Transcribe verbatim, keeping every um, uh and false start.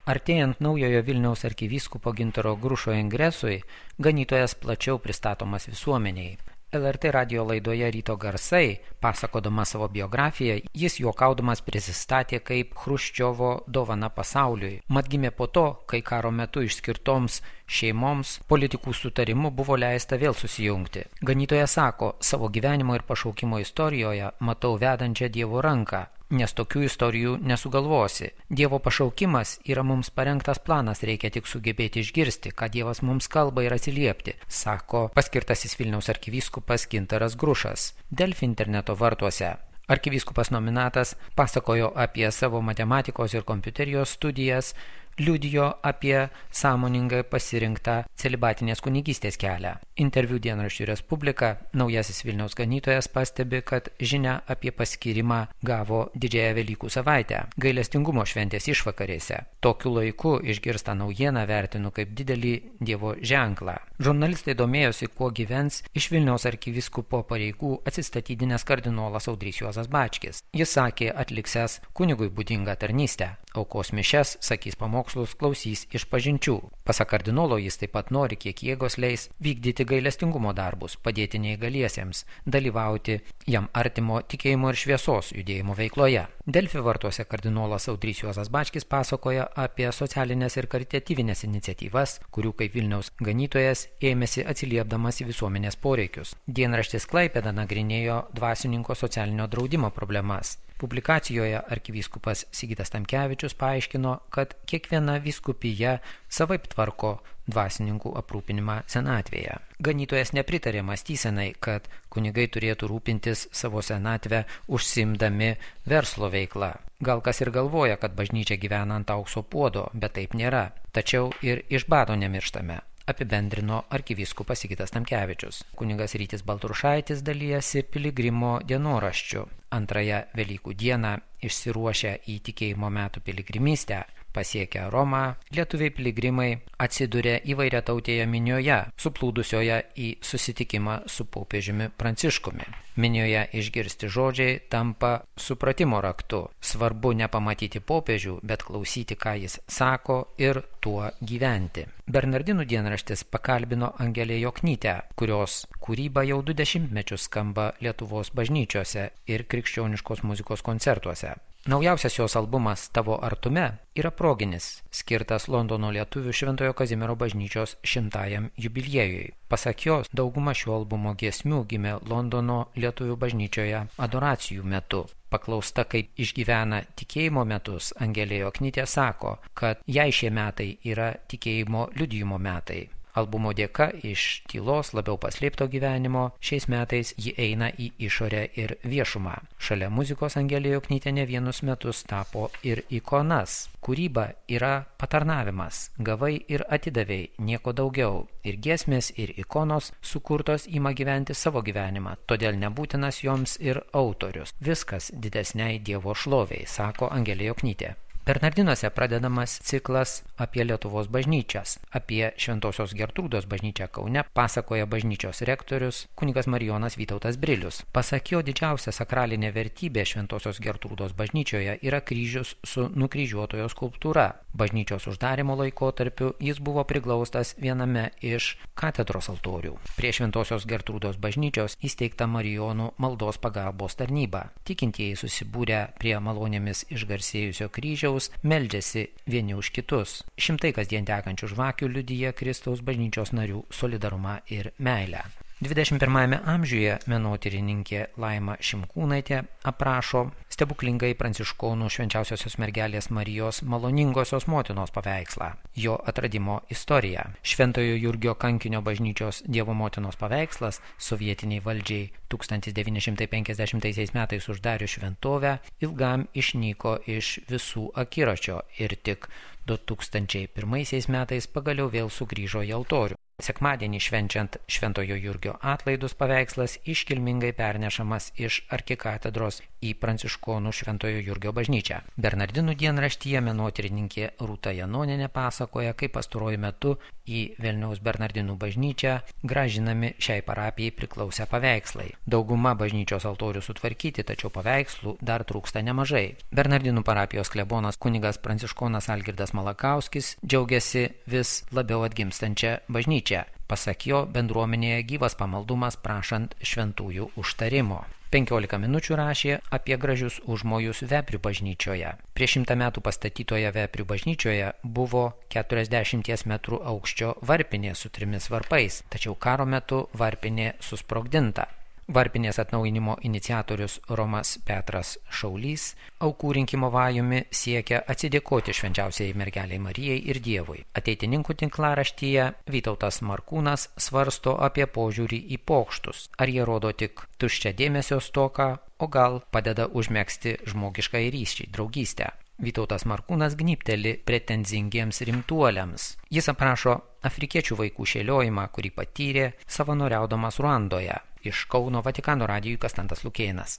Artėjant naujojo Vilniaus arkivyskupo Gintaro Grušo ingresui, ganytojas plačiau pristatomas visuomeniai. L R T radijo laidoje Ryto garsai, pasakodamas savo biografiją, jis juokaudamas prisistatė kaip Chruščiovo dovana pasauliui. Mat gimė po to, kai karo metu išskirtoms šeimoms politikų sutarimu buvo leista vėl susijungti. Ganytojas sako, savo gyvenimo ir pašaukimo istorijoje matau vedančią Dievo ranką. Nes tokių istorijų nesugalvosi. Dievo pašaukimas yra mums parengtas planas, reikia tik sugebėti išgirsti, ką Dievas mums kalba ir atsiliepti, sako paskirtasis Vilniaus arkivyskupas Gintaras Grušas. Delfi interneto vartuose. Arkivyskupas nominatas pasakojo apie savo matematikos ir kompiuterijos studijas, liudijo apie sąmoningai pasirinktą celibatinės kunigystės kelią. Interviu dienraščiui Respublika naujasis Vilniaus ganytojas pastebi, kad žinia apie paskyrimą gavo didžiąją Velykų savaitę, gailestingumo šventės išvakarėse. Tokiu laiku išgirstą naujieną vertinu kaip didelį Dievo ženklą. Žurnalistai domėjosi, kuo gyvens iš Vilniaus arkivyskupo pareigų atsistatydinęs kardinolas Audrys Juozas Bačkis. Jis sakė atliksęs kunigui būdingą tarnystę. Aukos mišias, sakys pamokslus, klausys išpažinčių. Pasak kardinolo jis taip pat nori, kiek jėgos leis, vykdyti gailestingumo darbus, padėti neįgaliesiems, dalyvauti jam artimo tikėjimo ir šviesos judėjimo veikloje. Delfi vartuose kardinolas Audrys Juozas Bačkis pasakoja apie socialinės ir karitatyvinės iniciatyvas, kurių kaip Vilniaus ganytojas ėmėsi atsiliepdamas į visuomenės poreikius. Dienraštis Klaipėda nagrinėjo dvasininko socialinio draudimo problemas. Publikacijoje arkivyskupas Sigitas Tamkevičius paaiškino, kad kiekviena vyskupija savaip tvarko dvasininkų aprūpinimą senatvėje. Ganytojas nepritarė mąstysenai, kad kunigai turėtų rūpintis savo senatvę užsiimdami verslo veiklą. Gal kas ir galvoja, kad bažnyčia gyvena ant aukso puodo, bet taip nėra. Tačiau ir iš bado nemirštame, apibendrino arkivyskupas Sigitas Tamkevičius. Kunigas Rytis Baltrušaitis dalijasi piligrimo dienoraščiu. Antrąją Velykų dieną išsiruošę į tikėjimo metų piligrimystę, pasiekę Romą, lietuviai piligrimai atsidūrė įvairiatautėje minioje, suplūdusioje į susitikimą su popiežiumi Pranciškumi. Minioje išgirsti žodžiai tampa supratimo raktu. Svarbu nepamatyti popiežių, bet klausyti, ką jis sako ir tuo gyventi. Bernardinų dienraštis pakalbino Angelę Joknytę, kurios kūryba jau du dešimtmečius skamba Lietuvos bažnyčiose ir krikščioniškos muzikos koncertuose. Naujausias jos albumas Tavo artume yra proginis, skirtas Londono lietuvių Šventojo Kazimiero bažnyčios šimtajam jubiliejui. Pasak jos, dauguma šio albumo giesmių gimė Londono lietuvių bažnyčioje adoracijų metu. Paklausta, kaip išgyvena tikėjimo metus, Angelė Joknytė sako, kad jai šie metai yra tikėjimo liudijimo metai. Albumo dėka iš tylos labiau paslėpto gyvenimo šiais metais ji eina į išorę ir viešumą. Šalia muzikos Angelė Joknytė ne vienus metus tapo ir ikonas. Kūryba yra patarnavimas, gavai ir atidavei, nieko daugiau. Ir giesmės, ir ikonos sukurtos ima gyventi savo gyvenimą, todėl nebūtinas joms ir autorius. Viskas didesniai Dievo šloviai, sako Angelė Joknytė. Bernardinuose pradedamas ciklas apie Lietuvos bažnyčias. Apie Šventosios Gertrūdos bažnyčią Kaune pasakoja bažnyčios rektorius kunigas Marijonas Vytautas Brilius. Pasak jo, didžiausia sakralinė vertybė Šventosios Gertrūdos bažnyčioje yra kryžius su nukryžiuotojo skulptūra. Bažnyčios uždarimo laikotarpiu jis buvo priglaustas viename iš katedros altorių. Prie Šventosios Gertrūdos bažnyčios įsteigta Marijonų maldos pagalbos tarnyba. Tikintieji susibūrę prie malonėmis išgarsėjusio kryžiaus meldžiasi vieni už kitus. Šimtai kasdien tekančių žvakių liudija Kristaus bažnyčios narių solidarumą ir meilę. dvidešimt pirmajame amžiuje menotyrininkė Laima Šimkūnaitė aprašo stebuklingai pranciškonų švenčiausiosios mergelės Marijos maloningosios motinos paveikslą, jo atradimo istoriją. Šventojo Jurgio kankinio bažnyčios Dievo motinos paveikslas sovietiniai valdžiai tūkstantis devyni šimtai penkiasdešimtaisiais metais uždarius šventovę ilgam išnyko iš visų akiračio ir tik du tūkstančiai pirmaisiais metais pagaliau vėl sugrįžo į altorių. Sekmadienį švenčiant Šventojo Jurgio atlaidus paveikslas iškilmingai pernešamas iš arkikatedros į Pranciškonų Šventojo Jurgio bažnyčią. Bernardinų dienraštyje menotyrininkė Rūta Janonienė pasakoja, kaip pastaruoju metu į Vilniaus Bernardinų bažnyčią gražinami šiai parapijai priklausę paveikslai. Dauguma bažnyčios altorių sutvarkyti, tačiau paveikslų dar trūksta nemažai. Bernardinų parapijos klebonas kunigas Pranciškonas Algirdas Malakauskis džiaugiasi vis labiau atgimstančią bažnyčią. Pasak jo, bendruomenėje gyvas pamaldumas prašant šventųjų užtarimo. penkiolika minučių rašė apie gražius užmojus Veprių bažnyčioje. Prieš šimtą metų pastatytoje Veprių bažnyčioje buvo keturiasdešimties metrų aukščio varpinė su trimis varpais, tačiau karo metu varpinė susprogdinta. Varpinės atnaujinimo iniciatorius Romas Petras Šaulys aukų rinkimo vajumi siekia atsidėkoti švenčiausiai mergeliai Marijai ir Dievui. Ateitininkų tinklaraštyje Vytautas Markūnas svarsto apie požiūrį į pokštus. Ar jie rodo tik tuščią dėmesio stoką, o gal padeda užmegzti žmogišką ryšį, draugystę. Vytautas Markūnas gnybteli pretenzingiems rimtuoliams. Jis aprašo afrikiečių vaikų šėliojimą, kurį patyrė savanoriaudamas Ruandoje. Iš Kauno Vatikano radijui Kastantas Lukėnas.